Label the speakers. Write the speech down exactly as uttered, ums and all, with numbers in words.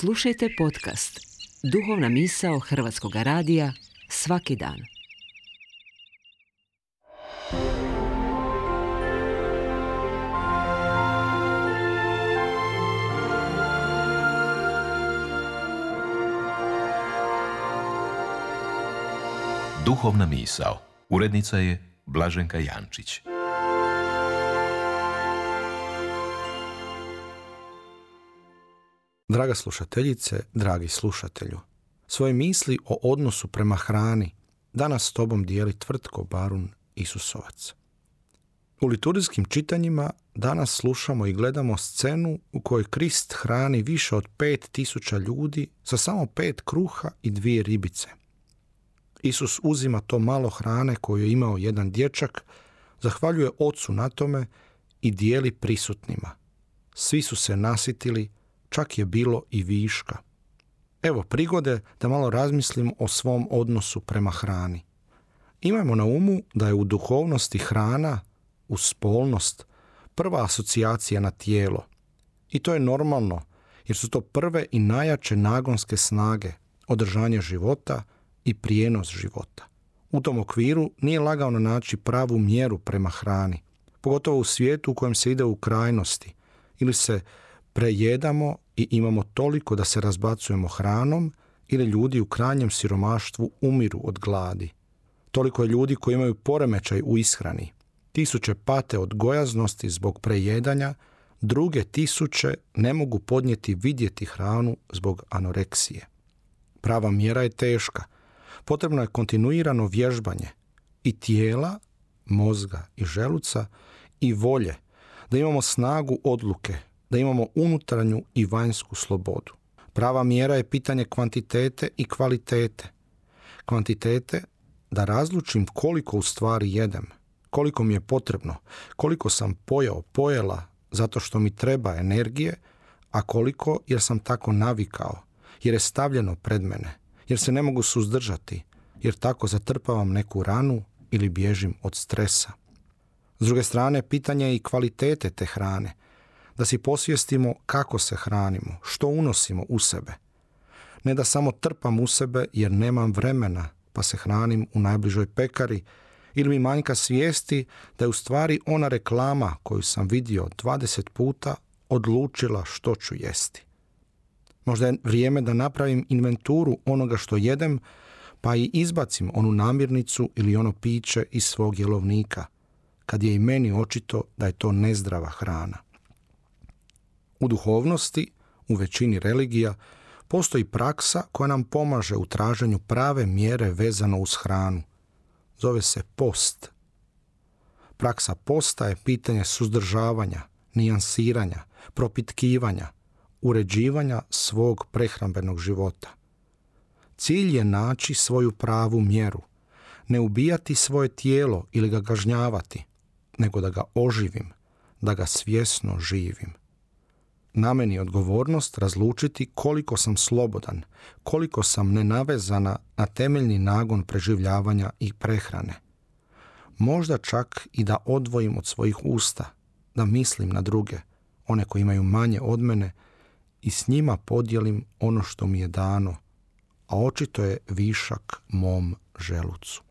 Speaker 1: Slušajte podcast Duhovna misao Hrvatskog radija svaki dan.
Speaker 2: Duhovna misao. Urednica je Blaženka Jančić.
Speaker 3: Draga slušateljice, dragi slušatelju, svoje misli o odnosu prema hrani danas s tobom dijeli Tvrtko Barun Isusovac. U liturgijskim čitanjima danas slušamo i gledamo scenu u kojoj Krist hrani više od pet tisuća ljudi sa samo pet kruha i dvije ribice. Isus uzima to malo hrane koju je imao jedan dječak, zahvaljuje Ocu na tome i dijeli prisutnima. Svi su se nasitili, čak je bilo i viška. Evo prigode da malo razmislim o svom odnosu prema hrani. Imajmo na umu da je u duhovnosti hrana, uz spolnost, prva asocijacija na tijelo. I to je normalno, jer su to prve i najjače nagonske snage, održanje života i prijenos života. U tom okviru nije lagano naći pravu mjeru prema hrani, pogotovo u svijetu u kojem se ide u krajnosti, ili se prejedamo i imamo toliko da se razbacujemo hranom, ili ljudi u krajnjem siromaštvu umiru od gladi. Toliko je ljudi koji imaju poremećaj u ishrani. Tisuće pate od gojaznosti zbog prejedanja, druge tisuće ne mogu podnijeti vidjeti hranu zbog anoreksije. Prava mjera je teška. Potrebno je kontinuirano vježbanje i tijela, mozga i želuca i volje, da imamo snagu odluke, da imamo unutarnju i vanjsku slobodu. Prava mjera je pitanje kvantitete i kvalitete. Kvantitete da razlučim koliko u stvari jedem, koliko mi je potrebno, koliko sam pojeo, pojela zato što mi treba energije, a koliko jer sam tako navikao, jer je stavljeno pred mene, jer se ne mogu suzdržati, jer tako zatrpavam neku ranu ili bježim od stresa. S druge strane, pitanje je i kvalitete te hrane, da si posvijestimo kako se hranimo, što unosimo u sebe. Ne da samo trpam u sebe jer nemam vremena pa se hranim u najbližoj pekari, ili mi manjka svijesti da je u stvari ona reklama koju sam vidio dvadeset puta odlučila što ću jesti. Možda je vrijeme da napravim inventuru onoga što jedem, pa i izbacim onu namirnicu ili ono piće iz svog jelovnika, kad je i meni očito da je to nezdrava hrana. U duhovnosti, u većini religija, postoji praksa koja nam pomaže u traženju prave mjere vezano uz hranu. Zove se post. Praksa posta je pitanje suzdržavanja, nijansiranja, propitkivanja, uređivanja svog prehrambenog života. Cilj je naći svoju pravu mjeru, ne ubijati svoje tijelo ili ga kažnjavati, nego da ga oživim, da ga svjesno živim. Na meni je odgovornost razlučiti koliko sam slobodan, koliko sam nenavezana na temeljni nagon preživljavanja i prehrane. Možda čak i da odvojim od svojih usta, da mislim na druge, one koji imaju manje od mene, i s njima podijelim ono što mi je dano, a očito je višak mom želucu.